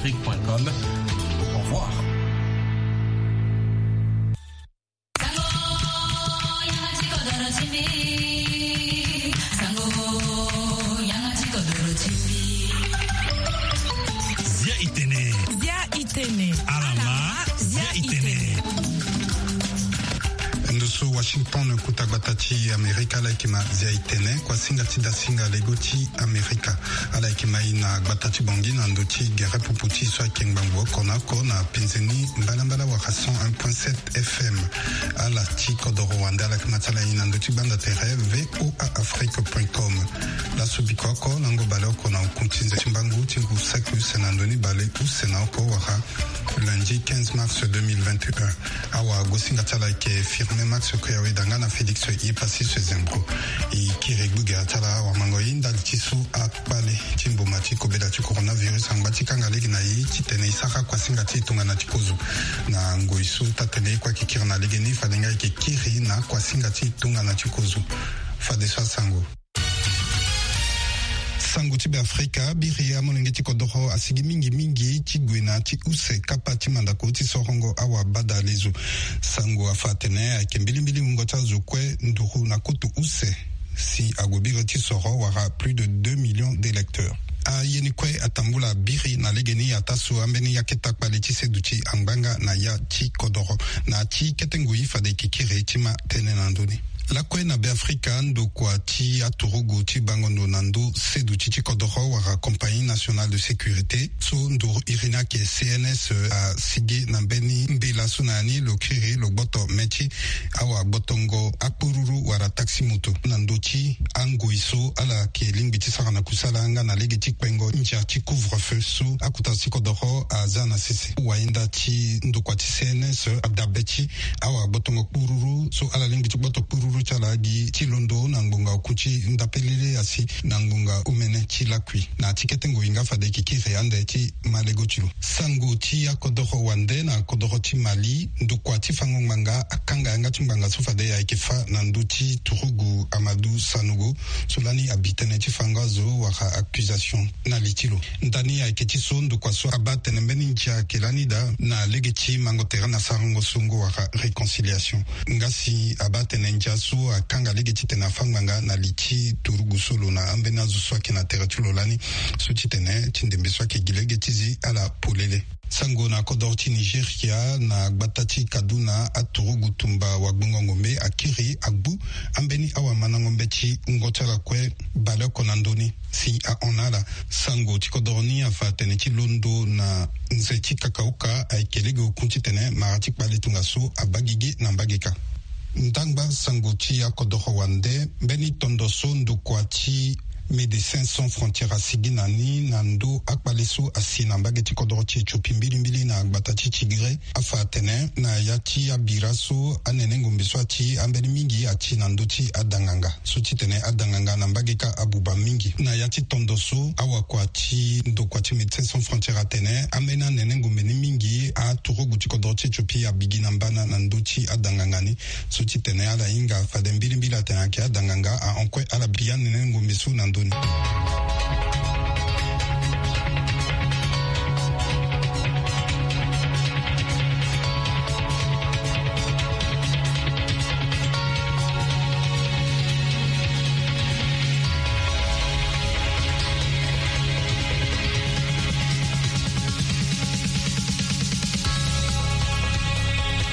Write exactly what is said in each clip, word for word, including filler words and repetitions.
Afrique point com. Au revoir. Zia itene. Zia itene. Alama, zia itene. Ndo so Washington, kota gbata ti Amerika, ala yeke ma zia itene, kuasinga ti dasinga lego ti Amerika. Ala yeke ma e na gbata ti Bangui na ndo ti gere pupu ti e so ayeke ngbangbo oko na oko na penze ni mbalambala wala cent un point sept F M. Ala ti kodoro wande ala yeke ma ti ala e na ndo ti gbanda tere V O A Afrique point com. Laso biko oko lango bale oko na oku ti nze ti mbangu ti ngu saki use na ndo ni bale use na oko wala lundi quinze mars deux mille vingt et un. Awa gosinga ti ala ayeke Firmin Max Koyawe danga na Félix Yepassis Zembro. E kiri gbugera ti ala awamango ye ndali ti so akpale ti mboma ti kobela ti coronavirus angba ti kanga lege na e titene e sara kuasinga ti e tongana ti kozo. Na ngoi so taa-tene ye kue ayeke kiri na legeni, fade nga e yeke kiri na kuasinga ti e tongana ti kozo. Fadeso asango. Sango ti Beafrika. Biri amolenge ti kodoro asigi mingi mingi ti gue na ti use kapa ti mandako ti sorongo awa bada lezo. Sango afa atene ayeke mbilimbili wungo ti azo kue nduru na koto use si ague biri ti soro wala plus de deux millions d'électeurs. Aye ni kue atambula biri na legeni ataa so ambeni akete akpale ti seduti angbanga na ya ti kodoro. Na ti kete ngoi fade e yeke kiri ti ma tënë na ndö ni. Lakue na Beafrika, ndokua ti aturugu ti bango ndo na ndö seduti ti kodoro wala Compagnie Nationale de Sécurité, so nduru iri ni ayeke C N S, asigi na mbeni mbela so na ya ni lo kiri lo gboto mê ti awa gbotongo akpururu wala taxi moto na ndö ti angoi so ala yeke lingbi ti sara na kusala nga na lege ti kpengo ndia ti couvre-feu so akota ti kodoro aza na sese. Wayenda ti ndokua ti C N S adabe ti awa gbotongo kpururu so ala lingbi ti gboto kpururu ti ala gi ti londo na ngbonga oku ti ndapelele asi na ngbonga omene ti lakui. Na ti kete ngoi nga fade e yeke kiri ande ti ma lego ti lo. Sango ti akodoro wande na kodoro ti Mali, ndokua ti fango ngbanga akanga yanga ti ngbanga so fade ayeke fâ na ndö ti turugu Amadou Sanogo so lani abi tënë ti fango azo wala accusation na li ti lo. Ndani ayeke ti so ndokua so abaa atene mbeni ndia ayeke lani daa na lege ti mango tere na sarango songo wala réconciliation. Nga si abaa atene ndia so akanga lege titene afâ ngbanga na li ti turugu so lo na ambeni azo so ayeke na tere ti lo lani. So titene ti ndembe so ayeke gi lege ti zi ala polele. Sango na kodoro ti Nigeria, na gbata ti Kaduna, aturugu tumba wagbongo ngombe akiri agbu ambeni awamandango mbe ti wungo ti ala kue baleoko na ndö ni. Si ahon na ala, sango ti kodoro ni afa atene ti londo na nze ti kakaoka ayeke lege oku titene mara ti kpale tongaso abaa gigi na mbageka. Ndangba sango ti akodoro wande, mbeni tondo so ndokua ti Médecins Sans Frontières asigi na ni na ndö akpale so asi na mbage ti kodoro ti Éthiopie mbilimbili na gbata ti Tigré, afa atene na ya ti abira so anene ngombe so ati ambeni mingi ati na ndö ti adanganga. So titene adanganga na mbage kâ abuba mingi. Na ya ti tondo so, awakua ti ndokua ti Médecins Sans Frontières atene ambeni anene ngombe ni mingi aturugu ti kodoro ti Éthiopie abi gi na mbana na ndö ti adanganga ni. So titene ala hinga fade mbilimbili atene ayeke adanganga ahon kue ala bi anene ngombe so na ndö ni.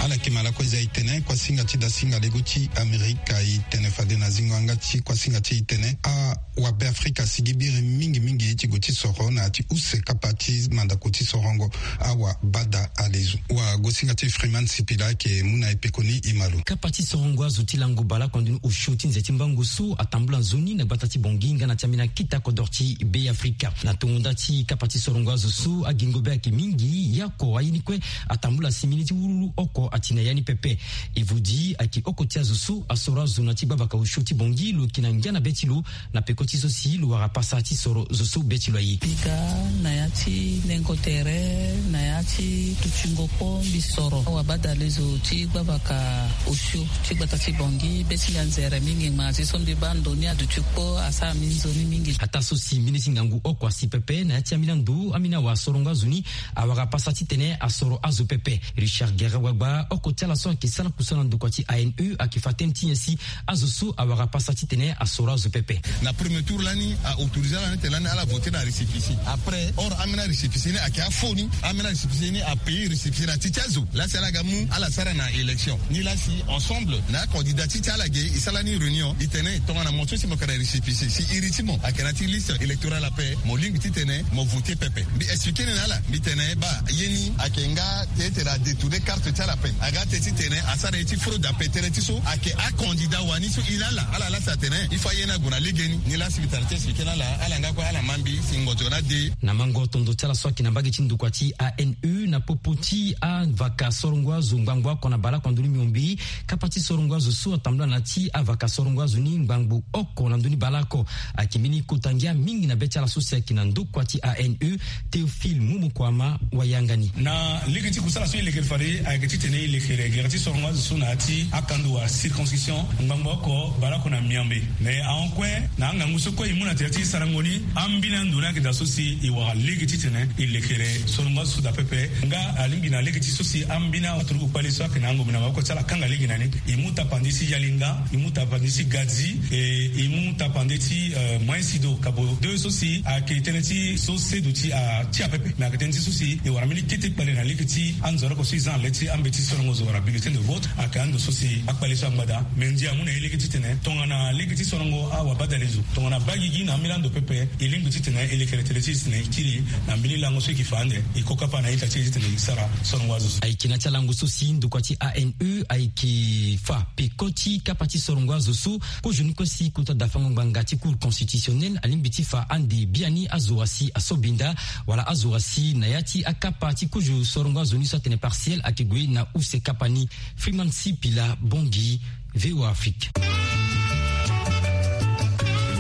Ala yeke ma lakue zia e tene kuasinga ti dasinga lego ti Amerika e tene fade na zingo yanga ti kuasinga ti e tene awabeafrika asigi biri mingi mingi ti gue ti soro na ya ti use kapa ti mandako ti sorongo awa bada alezo. Wagosinga ti Freeman Sipila ayeke mu na e pekoni e ma lo. Kapa ti sorongo azo ti lango baleoko na ndoni osio ti nze ti mbango so atambula nzoni na gbata ti Bangui nga na ti ambeni akita kodoro ti Beafrika. Na tongo nda ti kapa ti sorongo azo so agingo be ayeke mingi, ye oko aye ni kue atambula simini ti wululu oko ati na ya ni pepe. Pe e vodi ayeke oko ti azo so asoro azo na ti gbavaka osio ti Bangui lo yeke na ngia na be ti lo na peko ti so si lo wara pasa ti soro zo so be ti lo aye. Biga na ya ti nengo tere na ya ti tutingo kpo mbi soro awabadale zo ti gbavaka osio ti gbata ti Bangui be ti ngia nzere mingi ngba ti so mbi baa ndo ni aduti kpo asara mbi nzoni mingi. Ataa so si mbeni ti ngangu oko asi pepe na ya ti ambeni ando ambeni awasorongo azo ni awara pasa titene asoro azo pepe. Richard Guerre Wagba, oko ti ala so ayeke sara kusala na ndokua ti A N E, ayeke fa tënë ti nyen si azo so awara pasa titene asoro azo pepe. Na premier tour lani a autorisé ala ni tene lani ala voté na récépissé après, or ambeni arécépissé ni ayeke afaux ni. Ambeni arécépissé ni apaye récépissé na ti ti azo lasi ala ga mu ala sara na élection ni lasi ensemble na acandidat ti ti ala ge e sara ni réunion e tene tongana mo so si mo yeke na récépissé si iri ti mo ayeke na ti liste électorale ape, mo lingbi titene mo voté pepe. Mbi expliqué ni na ala mbi tene baa ye ni ayeke nga te ete la détourné carte ti ala ape. Aga te titene asara ye ti fraude ape tere ti so ayeke acandidat wani so e na ala ala lasi atene il faut aye ni ague na legeni. Ni lasi mbi tara ti expliqué na ala ala nga kue ala ma mbi si ngonzo na de. Na mango tondo ti ala so ayeke na mbage ti ndokua ti A N E na popo ti avaka sorongo azo ngbangbo oko na baleoko na ndoni miombe. Kapa ti sorongo azo so atambula na ya ti avaka sorongo azo ni ngbangbo oko na ndoni baleoko ayeke mbeni kota ngia mingi na be ti ala so si ayeke na ndokua ti A N E. Théophile Mumukuama wayanga ni. Na lege ti kusala so e lekere fade ayeke titene e lekere gere ti sorongo azo so na ya ti akando wa circonscription ngbangbo oko baleoko na miombe. Mais ahon kue na angangu so kue e mu na tere ti sarango ni ambeni ando ni ayeke daa so si e wara lege titene e lekere sorongo azo so daa pepe. Nga alingbi na lege ti so si ambeni aturugu kpale so ayeke na angombe na maboko ti ala akanga lege na ni. E mu tapande ti yalinga, e mu tapande ti gadzi, e e mu tapande ti moyen sido kabo deux so si ayeke tënë ti so sedo ti a ti apepe. Mais ayeke tënë ti so si e wara mbeni kete kpale na lege ti anzoro oko so e za na le ti ambeti sorongo zo wala bulletin de vote. Ayeke ando so si akpale so angba daa. Mais ndia amu na e lege titene tongana lege ti sorongo awabadale zo tongana baa gigi na ambeni ando pepe e lingbi titene e lekere tele ti e titene e kiri na mbeni lango so e yeke fa ande e ko kapa na ita ti e titene e sara sorongo azo so. Ayeke na ti alango so si ndokua ti A N E ayeke fa peko ti kapa ti sorongo azo so. Kozo ni kue si kota dafango ngbanga ti Cour constitutionnelle alingbi ti fa ande biani azo asi asobinda wala azo asi na ya ti akapa ti kozo sorongo azo ni so atene partiel ayeke gue na use kapa ni. Freeman Sipila Bongi, V O A Afrique. E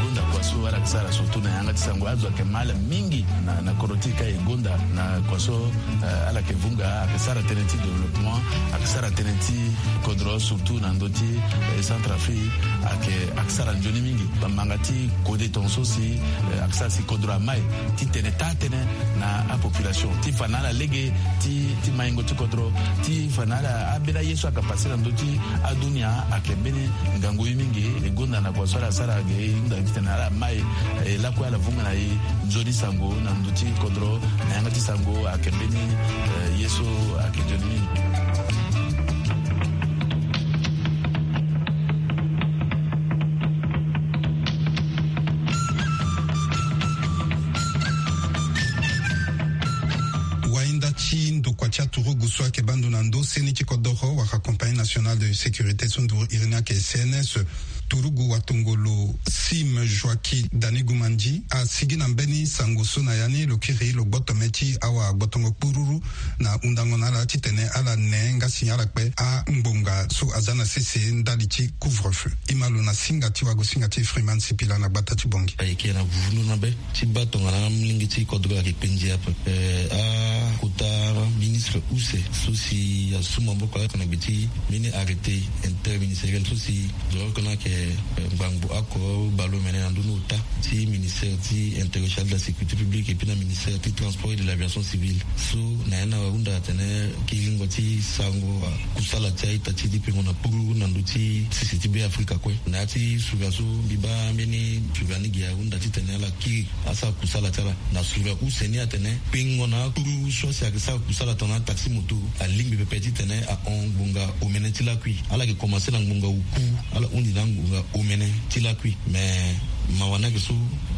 gonda kua so ala yeke sara surtout na yanga ti sango azo ayeke ma ala mingi na kodro ti e ka e gonda na kua so ala yeke vunga ayeke sara tënë ti développement ayeke sara tënë ti kodro surtout na ndö ti Centrafrique ayeke ayeke sara nzoni mingi. Bamanga ti kode tongaso si ayeke sara si kodro amai titene taa tënë na apopulation ti fa na ala lege ti maingo ti kodro ti fa na ala ambeni aye so ayeke pase na ndö ti adunia ayeke mbeni ngangu ye mingi. E gonda na kua so ala sara ge e hunda titene ala mai e lakue ala vunga na e nzoni sango na ndö ti kodro na yanga ti sango ayeke mbeni ye so ayeke nzoni mingi. Wainda ti ndokua ti aturugu so ayeke baa ndo na ndo seni ti kodoro wala Compagnie Nationale de Sécurité so nduru iri ni ayeke C N S, turugu watongolo Sim Joaquim Danigumandi asigi na mbeni sango so na ya ni lo kiri lo gboto me ti awa gbotongo kpururu na hundango na ala titene ala ne nga si ala kpe angbonga so aza na sese ndali ti couvre-feu. E ma lo na singa ti wagosinga ti Freeman Sipila na gbata ti Bongi. Ayeke na vundu na be ti baa tongana amolenge ti kodro ayeke kpe ndia ape. Akota ministre use so si asu maboko ayeke na gbe ti mbeni arrêté interministériel so si zo oko ni ayeke ngbangbo oko baleomene na ndö ni ota ti ministère ti intérieur, chargé de la sécurité publique et puis na ministère ti transport et de l'aviation civile. So na ya ni ahunda atene kiringo ti sango kusala ti a-ita ti dipengo na puru na ndö ti sese ti Be Afrika kue. Na ya ti sura so mbi baa mbeni sura ni gi ahunda titene ala kiri asara kusala ti ala na sura use ni atene pengo na akpuru so asi ayeke sara kusala tongana ataxi moto alingbi pepe titene ahon ngbonga omene ti lakui. Ala yeke komanse na ngbonga oku, ala hundi na angbonga omene ti lakui. Me mawa ni ayeke so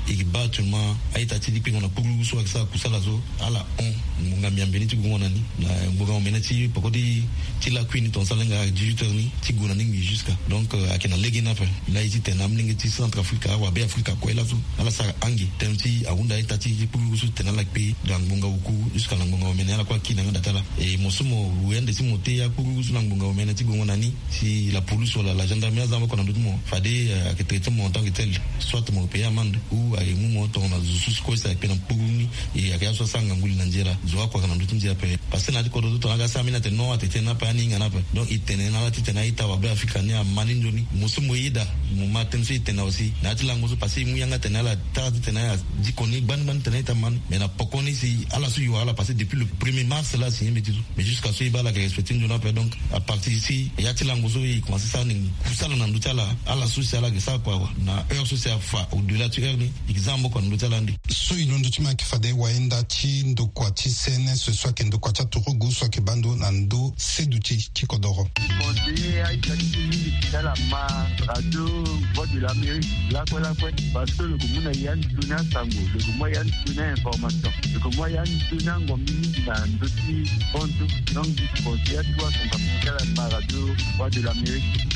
e yeke baa actuellement a-ita ti dipengo na kpuru so ayeke sara kusala so ala hon Ngbonga miambe ni ti gongo na ni na ngbonga omene ti poko ti lakui ni, ton sala nga dix-huit heures ni ti gue na ni ngbii jusqu'à. Donc ayeke na lege ni ape. Laa e ti tene na amolenge ti Centrafrique, awabe Afrika kue laso, ala sara ange tënë ti ahunda aita ti kpurugu so ti tene ala kpe na ngbonga oku jusqu'à na ngbonga omene, ala kue aki na yanga da ti ala. E mo so mo gue ande si mo te akpurugu so na ngbonga omene ti gongo na ni, si la police wala la gendarmerie aza moko na ndö ti mo, fade ayeke traité mo en tant que tel, soit mo payer amende ou aye mu mo tongana zo so si kue si ayeke na kpurugu ni. E ayeke ya so asara ngangu li na ndia la, zo oko ayeke na ndö ti ndia ape. Parce que na ya ti kodro so tongana aga asara mbeni atene non, atene tënë ni ape, ani hinga ni ape. Donc e tene na ala ti tene a-ita wabe Afrika ni ama ni nzoni. Mo so mo yeda mo ma tënë so e tene aussi na ya ti lango so, parce que e mu yanga tene ala tara ti tene ala diko ni gbani gbani tene a-ita ama ni. Mais na poko ni si ala so e wara ala, parce que depuis le premier mars la si e yembe ti so. Mais jusqu'à so e baa ala yeke respecté nzoni ape. Donc à partir si ya ti lango so e commencé sara ni kusala na ndö ti ala, ala so si ala yeke sara kua awe na heure so si afa au delà ti heure ni, e yeke za maboko na ndö ti ala ande. So e londo ti ma ayeke fade wayenda ti ndokua ti C N S so ayeke ndokua ti aturugu so ayeke baa ndo na ndö seduti ti kodoro. Conseiller a-ita ti mingi ti ala ma radio Voix de l'Amérique lakue lakue, parce que lo yeke mu na ya nzoni asango, lo yeke mu ya nzoni a-information, lo yeke mu ya nzoni angombi mingi na ndö ti bantu. Donc mbi conseiller aturugu asango ti ala ma radio Voix de l'Amérique.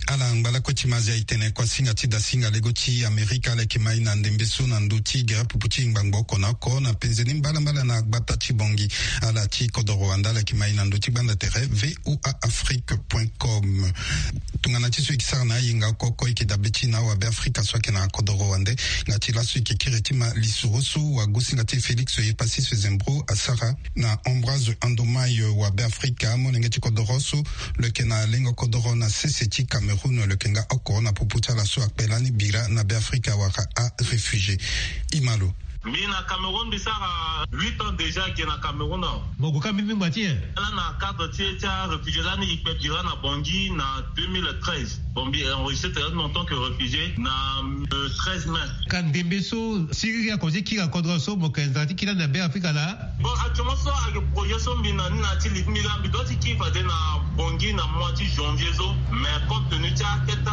Ala ngba lakue ti ma azia e tene kuasinga ti dasinga lego ti Amerika ala yeke ma e na ndembe so na ndö ti gere pupu ti ngbangbo oko na oko na penze ni mbalambala na gbata ti Bangui. Ala ti kodoro wande ala yeke ma e na ndö ti gbanda tere V O A Afrique point com. Tongana ti so e yeke sara na ayenga oko oko e yeke dabe ti na awabe Afrika so ayeke na kodoro wande. Nga ti laso e yeke kiri ti ma lisoro so wagosinga ti Félix Yepassis Zembro asara na Ambroise Andomai, wabe Afrika, molenge ti kodoro so lo yeke na lengo kodoro na sese ti Cameroun, lo yeke nga oko na popo ti ala so akpe lani bira na Beafrika wala aréfugié. E ma lo. Mbi na Cameroun mbi sara huit ans déjà, ge na Cameroun awe. Mo gue ka mbeni ngba ti nyen? Lani na cadre ti e ti aréfugié lani e kpe bira na Bangui na deux mille treize. Bon, mbi enregistré tene en tant que réfugié na le treize mai. Ka ndembe so siriri akozo ti kiri na kodro so mo yeke nzara ti kiri lani na Beafrika laa? Bon, actuellement so ayeke projet so mbi na ni na ya ti li ti mbi laa, mbi doit ti kiri fade na Bangui na mois ti janvier so. Mais compte tenu ti akete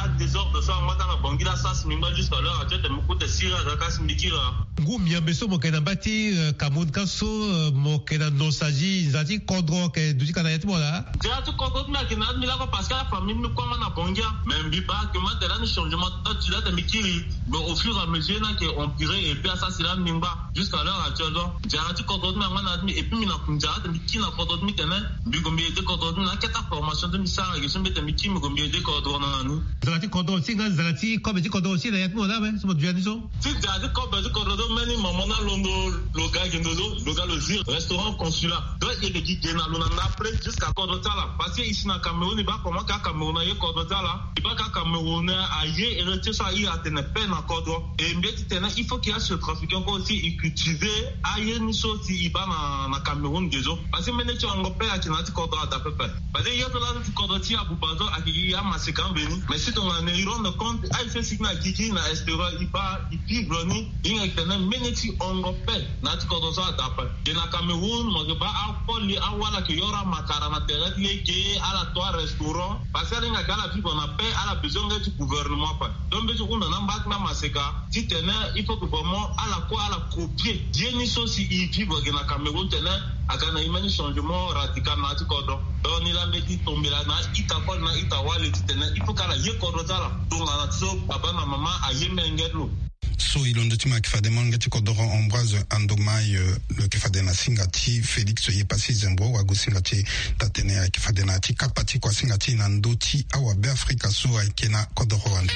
adésordre so angba ka na Bangui laa, asara si mbi ngba jusqu'à l'heure actuelle, tene mbi kute siriri aga ka si mbi kiri laa. Ngu miambe so mo yeke na mbage ti, euh, Cameroun ka so, euh, mo yeke na nosazi nzara ti kodro ayeke duti ka na ya ti mo laa? Nzara ti kodro ti mbi ayeke na ya ti mbi lakue parce que afamille ti mbi kue angba na Bangui. Mais mbi baa actuellement tene lani changement ti date ti la tene mbi kiri. Mais au fur et à mesure ni ayeke empiré et puis asara si lani mbi ngba jusqu'à l'heure actuelle. Donc nzara ti kodro ti mbi angba na ya ti mbi et puis mbi na nzara ti tene mbi kiri na kodro ti mbi tene mbi gue mbi aidé kodro ti mbi na akete formation ti mbi sara ge so mbi tene mbi kiri mbi gue mbi aidé kodro na ni. Nzara ti kodro aussi nga nzara ti kobe ti kodro aussi na ya ti mo laa awe so mo duti na ni so? Ti nzara ti kobe ti kodro so mbeni mama ni alondo lo ga gi ndo so lo ga lo zi restaurant consulat. Donc e yeke gi ge na lo na ndapre jusqu'à kodro ti ala. Parce que e si na Cameroun e baa comment ka Cameroun aye kodro ti ala. E baa ka Cameroun aye héritier so a iri atene paix na kodro. E mbi ye ti tene il faut que a centrafricain kue aussi e cultiver aye ni so si e baa na, na Cameroun ge so. Parce que mbeni ti hongo paix ayeke na ya ti kodro ada pepe. Parce que ye so laa ti kodro ti abuba so ayeke gi amaseka ambeni. Mais si tongana e rendre compte aye so e sigi na gigi na extérieur e baa e vivre ni. E hinga e tene mbeni ti hongo paix na ya ti kodro so ada ape. Ge na Cameroun mo yeke baa akoli awala ayeke yoro amakara na tere ti lege, ala to arestaurant. Parce que ala hinga ke ala vivre na paix, ala besoin nga ti gouvernement ape. Donc mbi ye ti hunda na amba ti mbi amaseka ti tene il faut que vraiment ala kue ala copier ye ni so si e vivre ge na Cameroun tene aga na e mbeni changement radical na ya ti kodro. Donc ni laa mbi ye ti tombela na a-ita koli na a-ita wali ti tene il faut que ala ye kodro ti ala tongana so baba na mama aye menge ti lo. So e londo ti ma ayeke fade molenge ti kodoro Ambroise Andomai, euh, lo yeke fade na singa ti Félix Yepassis Zembro wagosinga ti e daa tene ayeke fade na ya ti kapa ti kuasinga ti e na ndö ti awabe Afrika so ayeke na kodoro wande.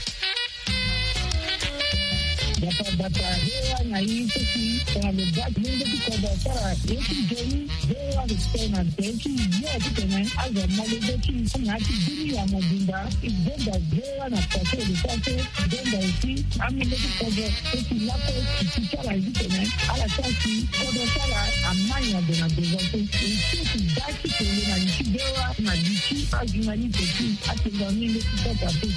Bata bata, V O A na i so si tongana lo baa ti lenge ti kodro asara ye ti nzoni, V O A respect na tere ti yo ti tene azo molenge ti i na ya ti bini ya mobimba. I zonza V O A na pase e lo sara so zonza aussi amolenge ti kodro so si lakue ti ti ti ala ye ti tene ala sara si kodro ti ala ama nyango na devant so. E so si baa ti tene na li ti V O A na li ti ajournaliste ti atenga molenge ti kodro ape.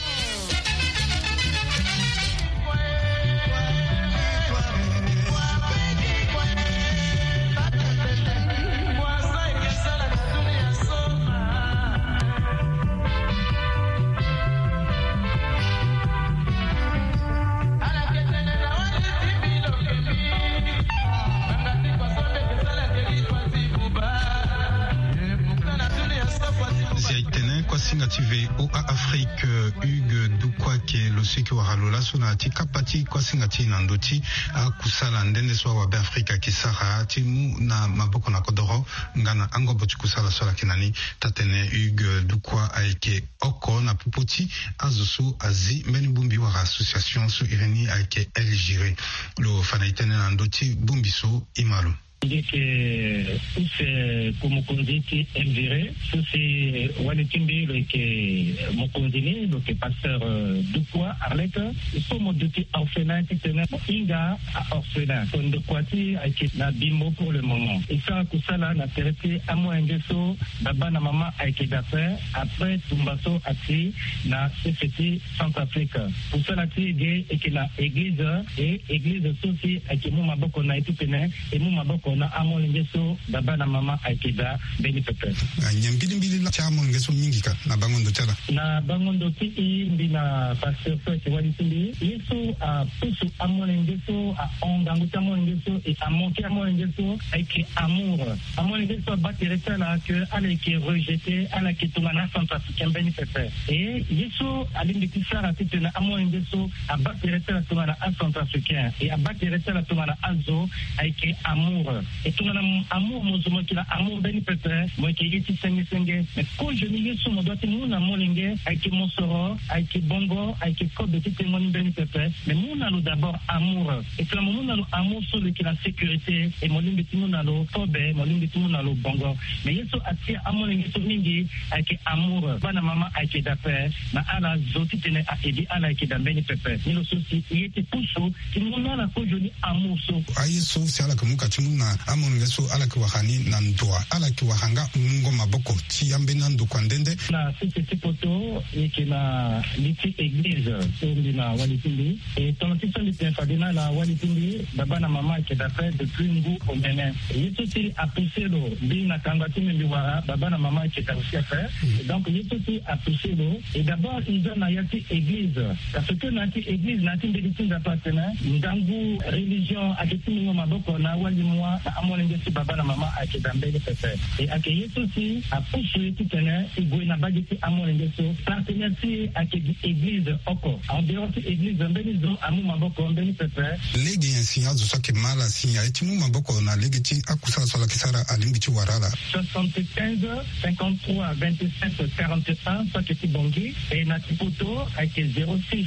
Nga ti V O A Afrique, Hugues Dukwa ayeke lo so ayeke wara lo laso na ya ti kapa ti kuasinga ti e na ndö ti akusala nde nde so awabe Afrika ayeke sara ti mu na maboko na kodoro nga na angobo ti kusala so ala yeke na ni. Taa-tene Hugues Dukwa ayeke oko na popo ti azo so azi mbeni bongbi wala association so iri ni ayeke El Giré. Lo fa na e tënë na ndö ti bongbi so e ma lo. Mbi yeke use ko mokonzi ti El Giré so si wali ti mbi lo yeke mokonzi ni, lo yeke pasteur, euh, Dukwa Arlette. E so mo duti orphelin titene mo hinga a-orphelin. So ndokua ti e ayeke na Bimbo pour le moment. E sara kusala na tere ti amolenge so baba na mama ayeke daa ape, après tumba so ati na sese ti Centrafrique. Kusala ti e ge e yeke na eglize, e eglize so si ayeke mu maboko na e titene e mu maboko na amolenge so baba na mama ayeke daa mbeni pepe. Nyen mbilimbili laa ti amolenge so mingi ka na bango ndo ti ala? Na bango ndo ti e, mbi na pasteur so ayeke wali ti mbi, ye so apusu amolenge so, ahon ngangu ti amolenge so, e amoke amolenge so ayeke amour. Amolenge so abaa tere ti ala ke ala yeke rejeté, ala yeke tongana acentrafricain mbeni pepe. E ye so alingbi ti sara titene amolenge so abaa tere ti ala tongana acentrafricain, e abaa tere ti ala tongana azo, ayeke amour. E tongana amour, mo zo mo yeke na amour mbeni pepe, mo yeke ye ti senge senge. Mais kozoni ye so mo doit ti mu na molenge ayeke mosoro, ayeke bongo, ayeke kobe ti tengo ni mbeni pepe. Mais mu na lo d'abord amour. E tongana mo mu na lo amour so lo yeke na sécurité, e mo lingbi ti mu na lo kobe, mo lingbi ti mu na lo bongo. Mais ye so atia amolenge so mingi ayeke amour. Bana mama ayeke daa ape, na ala zo titene a-edi ala ayeke daa mbeni pepe. Ni lo so si e ye ti pusu ti mu na ala kozoni amour so. Aye so si ala yeke mu ka ti mu na amolenge so ala yeke wara ni na ndoa, ala yeke wara nga mungo maboko ti ambeni andokua nde nde. Na sese ti poto, e yeke na li ti eglize so mbi na wali ti mbi. E tongana ti so mbi tene fade na ala, wali ti mbi, baba na mama ayeke daa ape depuis ngu omene. Ye so si apoussé lo, mbi na kanga ti mbi, mbi wara baba na mama ayeke daa aussi ape. Donc ye so si apoussé lo, e d'abord e za na ya ti eglize. Parce que na ya ti eglize, na ya ti mbage ti Nzapa atene ngangu religion ayeke ti mungo maboko na awali mua na amolenge ti baba na mama ayeke daa mbeni pepe. E ayeke ye so si apusu e titene e gue na mbage ti amolenge so. Partenaire ti e ayeke gi eglize oko. En dehors ti eglize, mbeni zo amu maboko mbeni pepe. Lege nyen si azo so ayeke ma ala si aye ti mu maboko na lege ti akusala so ala yeke sara, alingbi ti wara ala? Soixante-quinze, cinquante-trois, vingt-sept, quarante et un, so ayeke ti Bangui. E na ti poto ayeke zéro six,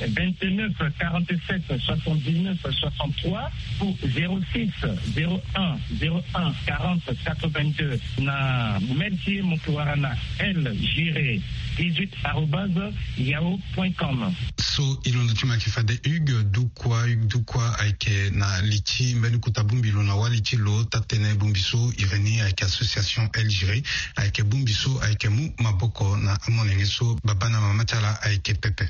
vingt-neuf, quarante-sept, soixante-dix-neuf, soixante-trois ou zéro six, zéro un, zéro un, quarante, quatre-vingt-deux. Na mail ti e mo yeke wara na L Giré dix-huit arobase yahoo point com. So e londo ti mo ayeke fade Hugues Dukwa. Hugues Dukwa ayeke na li ti mbeni kota bongbi lo na wali ti lo. Taa-tënë bongbi so iri ni ayeke association El Giré, ayeke bongbi so ayeke mu maboko na amolenge so baba na mama ti ala ayeke pepe.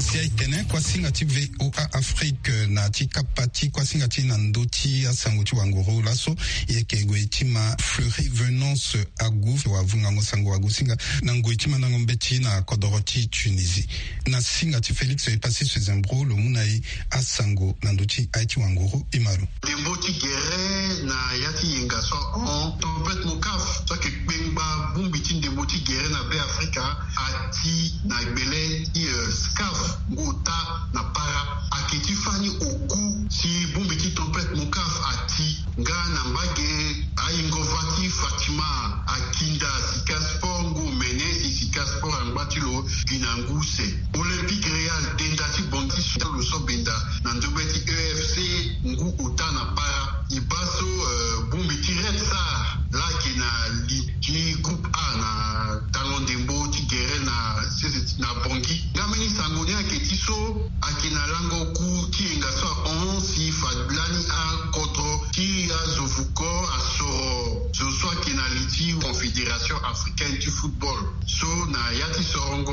Si ayeke tene kuasinga ti V O A Afrique na ti kapa ti kuasinga ti e na ndö ti asango ti wanguru laso, e yeke gue ti ma Fleury Venance Agu, wavungango sango wagosinga na ngoi ti mandango mbeti na kodoro ti Tunisie. Na singa ti Félix Epassis Sezembro lo mu na e asango na ndö ti aye ti wanguru. E ma lo. Ndembo ti gere na ya ti yenga so ahon tempête Monkaf so ayeke kpengba bongbi ti ndembo ti gere na Be Afrika ati na gbele ti, eh, SCAF ngu ota na para. Ayeke ti fani oku si bongbi ti tempête Monkaf ati nga na mbage ayingo-va ti Fatima akinda Sika Sport ngu omene si Sika Sport angba ti lo gi na ngu use. Olympique Real denda ti Bangui so lo so benda na ndogbe ti E F C ngu ota na para. E baa so, eh, bongbi ti Red Star laa ayeke na li ti groupe A na tango ndembo ti gere na sese na Bangui. Nga mbeni sango ni ayeke ti so ayeke na lango oku ti yenga so ahon si fa lani akodro ti azo vuko asoro zo so ayeke na li ti Confédération Africaine ti Football. So na ya ti sorongo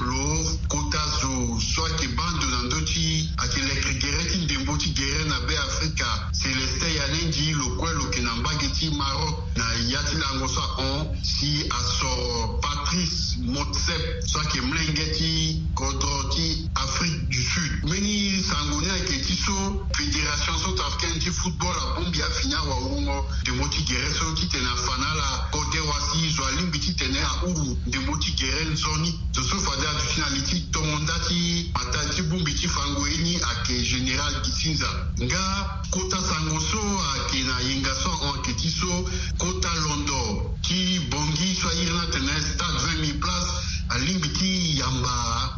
lo kota zo so ayeke baa ndo na ndö ti ayeke leke gere ti ndembo ti Ti lango so ahon si asoro Patrice Motsepe so ayeke molenge ti kodro ti Afrique du Sud. Mbeni sango ni ayeke ti so Fédération Centrafricaine ti Football abongbi afini awawungo ndembo ti gere so titene afa na ala kode wa si zo alingbi titene ahuru ndembo ti gere nzoni. Zo so fade aduti na li ti tongo nda ti matadi ti bongbi ti fango ye ni ayeke Général Gisinza. Nga kota sango so ayeke na yenga so ahon ayeke ti so kota londo ti Bangui so airi ni atene stade vingt mille places alingbi ti yamba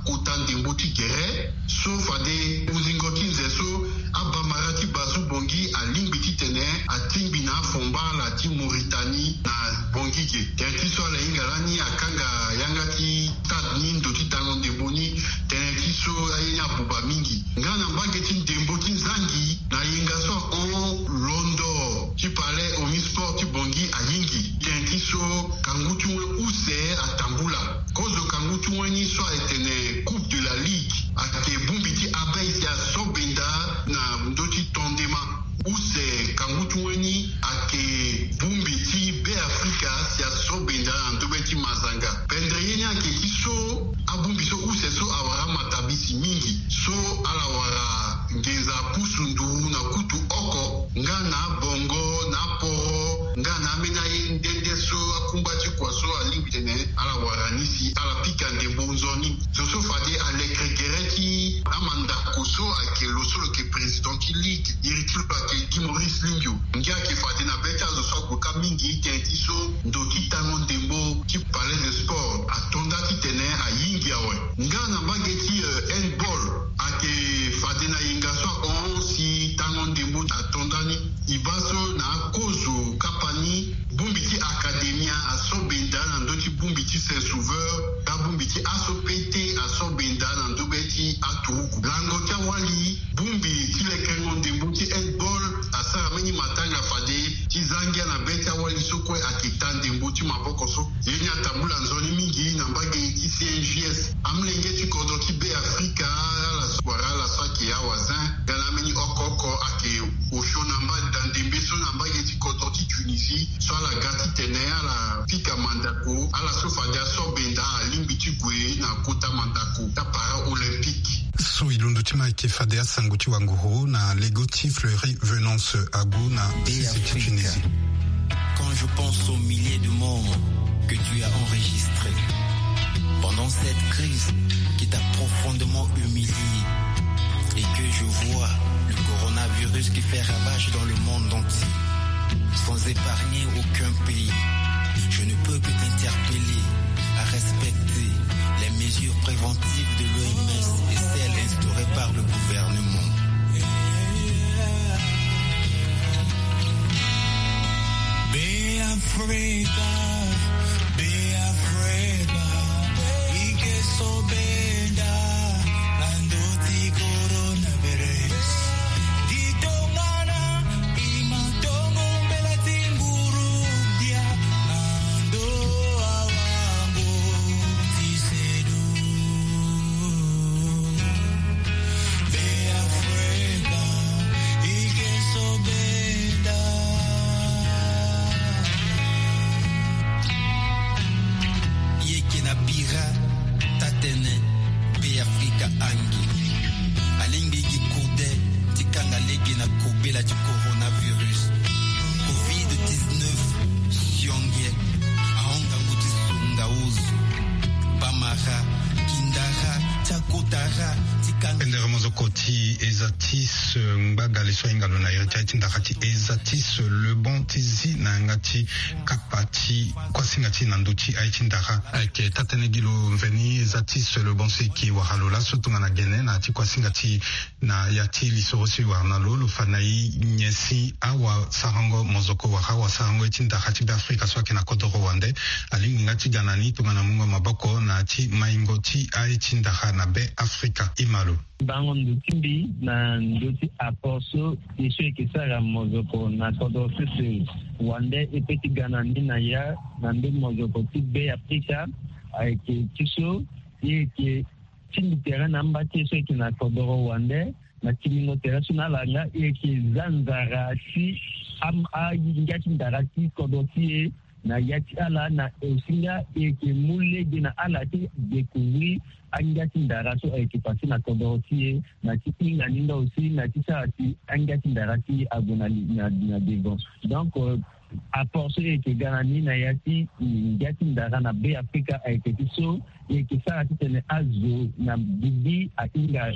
kota ndembo ti gere so fade uzingo ti nze so abamara ti bazu Bangui alingbi titene atingbi na afomba ala ti Mauritanie na Bangui ge. Tënë ti so ala hinga lani akanga yanga ti stade ni ndo ti tango ndembo ni. Tënë ti so aye ni abuba mingi. Nga na mbage ti ndembo ti nzangi, na yenga so ahon londo ti palais Omnisport ti Bangui ayingi. Tënë ti so kangu ti wen use atambula. Kozo kangu ti wen ni so ayeke tene Coupe de la Ligue ayeke bongbi ti abei si asobenda na ndö ti tondema. Use kangu ti wen ni ayeke bongbi ti Beafrika si asobenda na ndö be ti mazanga. Pendere ye ni ayeke ti so abongbi so use so awara amatabisi mingi so ala wara nginza pusu nduru na kutu oko nga na abongo na aporo nga na ambeni aye nde nde so akungba ti kua so alingbi titene ala wara ni si ala pika ndembo nzoni. Zo so fade alekere gere ti amandako so ayeke lo so lo yeke président ti ligue iri ti lo ayeke Guy Maurice Lingio. Ngia ayeke fade na be ti azo so ague kâ mingi tënë ti so ndo ti tango ndembo ti Palais des Sports ato nda titene ayingi awe. Nga na mbage ti handball ayeke fade na yenga so ahon si tango ndembo ato nda ni. E baa so na akozo kapa ni bongbi ti Academia asobenda na ndö ti bongbi ti Saint Sauveur nga bongbi ti A S O P T asobenda na ndö be ti aturuku. Lango ti awali bongbi ti lekerengo ndembo ti handball asara mbeni matanga fade ti za ngia na be ti awali so kue ayeke ta ndembo ti maboko so. Ye ni atambula nzoni mingi na mbage ti C N J S. Amolenge ti kodro ti Beafrika ala so wara ala so ayeke awazin nga na ambeni oko oko ayeke osio na mba da ndembe so na mbage ti kodro ti Tunisie so ala ga titene ala pika mandako ala so fade asobenda alingbi ti gue na kota mandako ti apara olympique. So e londo ti ma ayeke fade asango ti wanguru na lego ti Fleury Venance agu na sese ti Tunisie. Quand je pense aux milliers de morts que tu as enregistrés pendant cette crise qui t'a profondément humilié et que je vois le coronavirus qui fait ravage dans le monde entier, sans épargner aucun pays, je ne peux que t'interpeller à respecter les mesures préventives de l'O M S et celles instaurées par le gouvernement. Beafrika, Beafrika, i ke so benda na ndö ti coronavirus. Di tongana i ma tongo mbela ti nguru dia na ndö awango ti sedu. Beafrika, i ke so benda. I yeke na bira tatene Beafrika ange alingbi gi kode ti kanga lege na kobela ti coronavirus. Covid dix-neuf sionge ahon ngangu ti songa ozo, bamara, kindara ti akotara ti kanga. Pendere mozoko ti eza ti so ngbagale so ahinga lo na iri ti aye ti ndara ti eza ti so le bon ti zi na yanga ti kapa ti kuasinga ti na ndö ti aye ti ndara. Ayeke tatene gi lo mveni eza ti so le bon so e ke wara lo laso tongana gene na ya ti kuasinga ti na ya ti lisoro so e wara na lo, lo fa na e nyen si awasarango mozoko wala awasarango ye ti ndara ti Beafrika so ayeke na kodoro wande alingbi nga ti ga na ni tongana mungo maboko na ya ti maingo ti aye ti ndara na Beafrika. E ma lo. Bango ndo ti mbi na ndö ti apport so e so e yeke sara mozoko na kodro sese wande e pe ti ga na ni na ya na ndö mozoko ti Beafrika. Ayeke ti so e yeke tingbi tere na amba ti e so e yeke na kodoro wande na timbingo tere so na ala nga e yeke za nzara ti am- angia ti ndara ti kodro ti e. Na ya ti ala na aussi nga e yeke mu lege na ala ti découvrir angia ti ndara so ayeke passé na kodoro ti e, na ti hinga ni nga aussi na ti sara si angia ti ndara ti e ague na, na, na devant. Donc, euh, apport so e yeke ga na ni na ya ti ngia ti ndara na Be Afrika ayeke ti so e yeke sara titene azo na bibi ahinga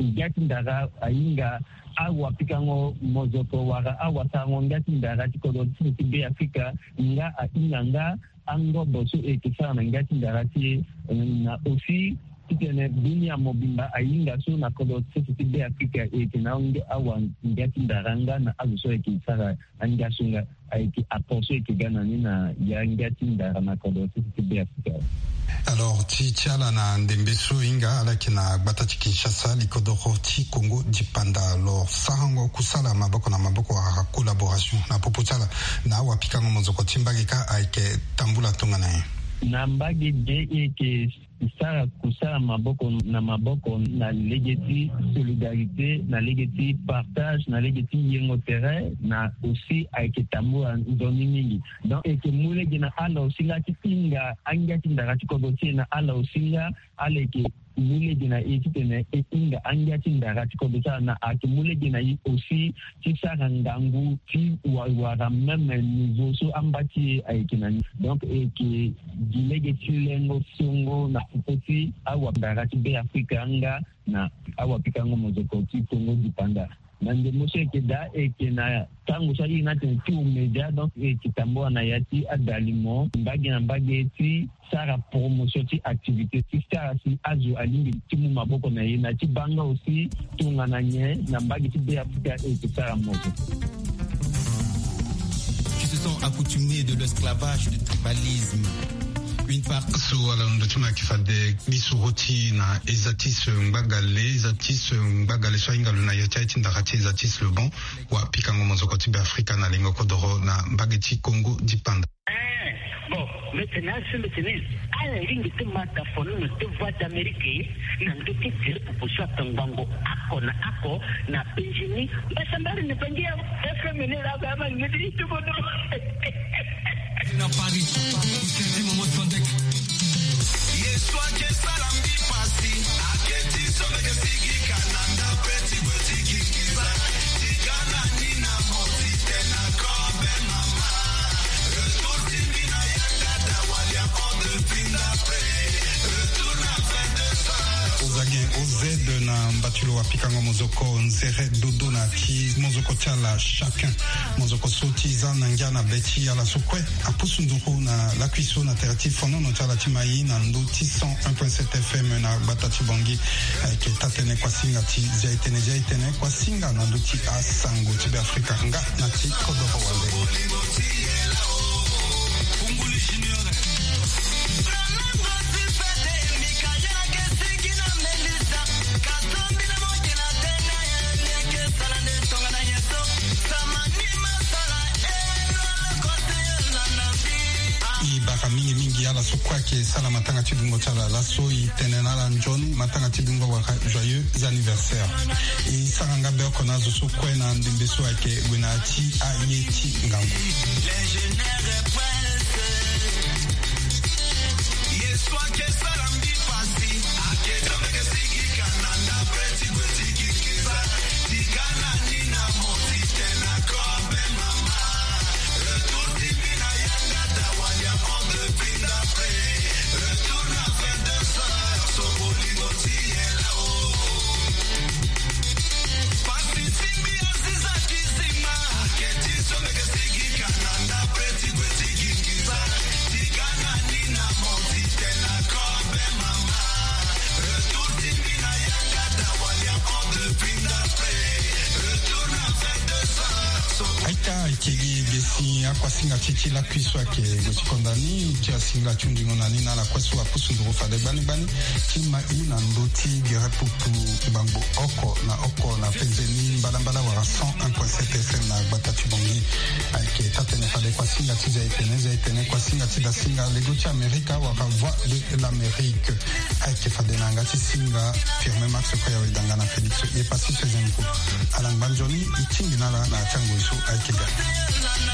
ngia ti ndara, ahinga awapikango mozoko wala awasarango ngia ti ndara ti kodro ti sese ti Be Afrika, nga ahinga nga angobo so e yeke sara na ngia ti ndara ti e, eh, na aussi titene dunia mobimba ahinga so na kodro ti sese ti Be Afrika e yeke na ange-, awa ngia ti ndara nga na azo so e yeke sara angia so nga. Ayeke apport so e yeke ga na ni na ya ngia ti ndara na kodro ti sese ti Be Afrika. Alors ti, ti ala na ndembe so e hinga ala yeke na gbata ti Kinshasa, likodoro ti Congo dipanda. Alors sarango kusala maboko na maboko wala collaboration na popo ti ala na awapikango mozoko ti mbage kâ ayeke tambula tongana nyen? Na mbage ge e yeke sara kusala maboko na maboko na lege ti solidarité, na lege ti partage, na lege ti yengo tere, na aussi ayeke tambula nzoni mingi. Donc e yeke mu lege na ala aussi nga ti hinga angia ti ndara ti kodro ti e, na ala aussi nga ala yeke mu lege na e titene e hinga angia ti ndara ti kodro ti ala, na ayeke mu lege na e aussi ti sara ngangu ti wa-, wara même niveau so amba ti e ayeke na ni. Donc e yeke gi lege ti lengo songo na popo ti awandara ti Be Afrika nga na awapikango mozoko ti Congo dipanda. Na ndembo so e yeke daa, e yeke na tango so a iri ni atene ti omedia, donc e yeke tambula na ya ti adalimo mbage na mbage ti sara promotion ti activité ti sara si azo alingbi ti mu maboko na e na ti baa nga aussi tongana nyen na mbage ti Be Afrika e yeke sara mozoko. Tu te sens accoutumé de l'esclavage, du tribalisme. Une part. So ala ndo ti ma yeke fade lisoro ti na eza ti se ngbagale, eza ti se ngbagale so ahinga lo na ya ti aye ti ndara ti eza ti se le bon. Wa pikango mozoko ti Be Afrika na lengo kodoro na mbage ti Congo dipanda. Eh, bon, mete na asu mete ni. Ala ringi ti mata fono na ti Voix d'Amérique na ndo ti tiri pupu so atongbango ako na ako na Benjini. Mbasambari ni bangi ya F M ni la ba ma ngidi ti bodo. Na Paris, Momo Sandek. Yesu ake sala mbi pasi, ake ti so meke sigi kana nda pe ti kwe ti kikiza. Ti kana ni na moti te na kobe mama. Retour ti mbi na yanga da walia on de pinda pe. Retour na vingt-deux heures. Ozage O Z na mbatulu wa pikango mozoko nzere dodo na ti mozoko ti ala chacun. Mozoko so ti za na ngia na be ti ala so kue. Apusu nduru na lakui so na tere ti fonono ti ala ti mai na ndö ti cent un point sept F M na gbata ti Bangui. Ayeke taa-tënë kuasinga ti zia-e-tënë, zia-e-tënë kuasinga na ndö ti asango ti Be Afrika nga na ti kodoro wande. E bara mingi mingi ala so kue ayeke sara matanga ti dungo ti ala laso, e tene na ala nzoni matanga ti dungo wala joyeux anniversaire. E sara nga be oko na azo so kue na ndembe so ayeke gue na ya ti aye ti ngangu. Aita, ayeke gi ge si akuasinga ti ti lakui so ayeke gue ti konda ni ti asingila ti hundingo na ni na ala kue so apusu nduru fade gbani gbani ti ma i na ndö ti gere pupu ngbangbo oko na oko na penze ni mbalambala wala cent un point sept F M na gbata ti Bangui. Ayeke taa-tënë fade kuasinga ti zia-e-tënë, zia-e-tënë kuasinga ti dasinga lego ti Amerika wala Voix de l'Amérique. Ayeke fade na yanga ti singa Firmin Max Koya Wedanga na Félix Yepassi seizième groupe. Ala ngba nzoni, e tingbi na ala na ya ti angoi so ayeke ga.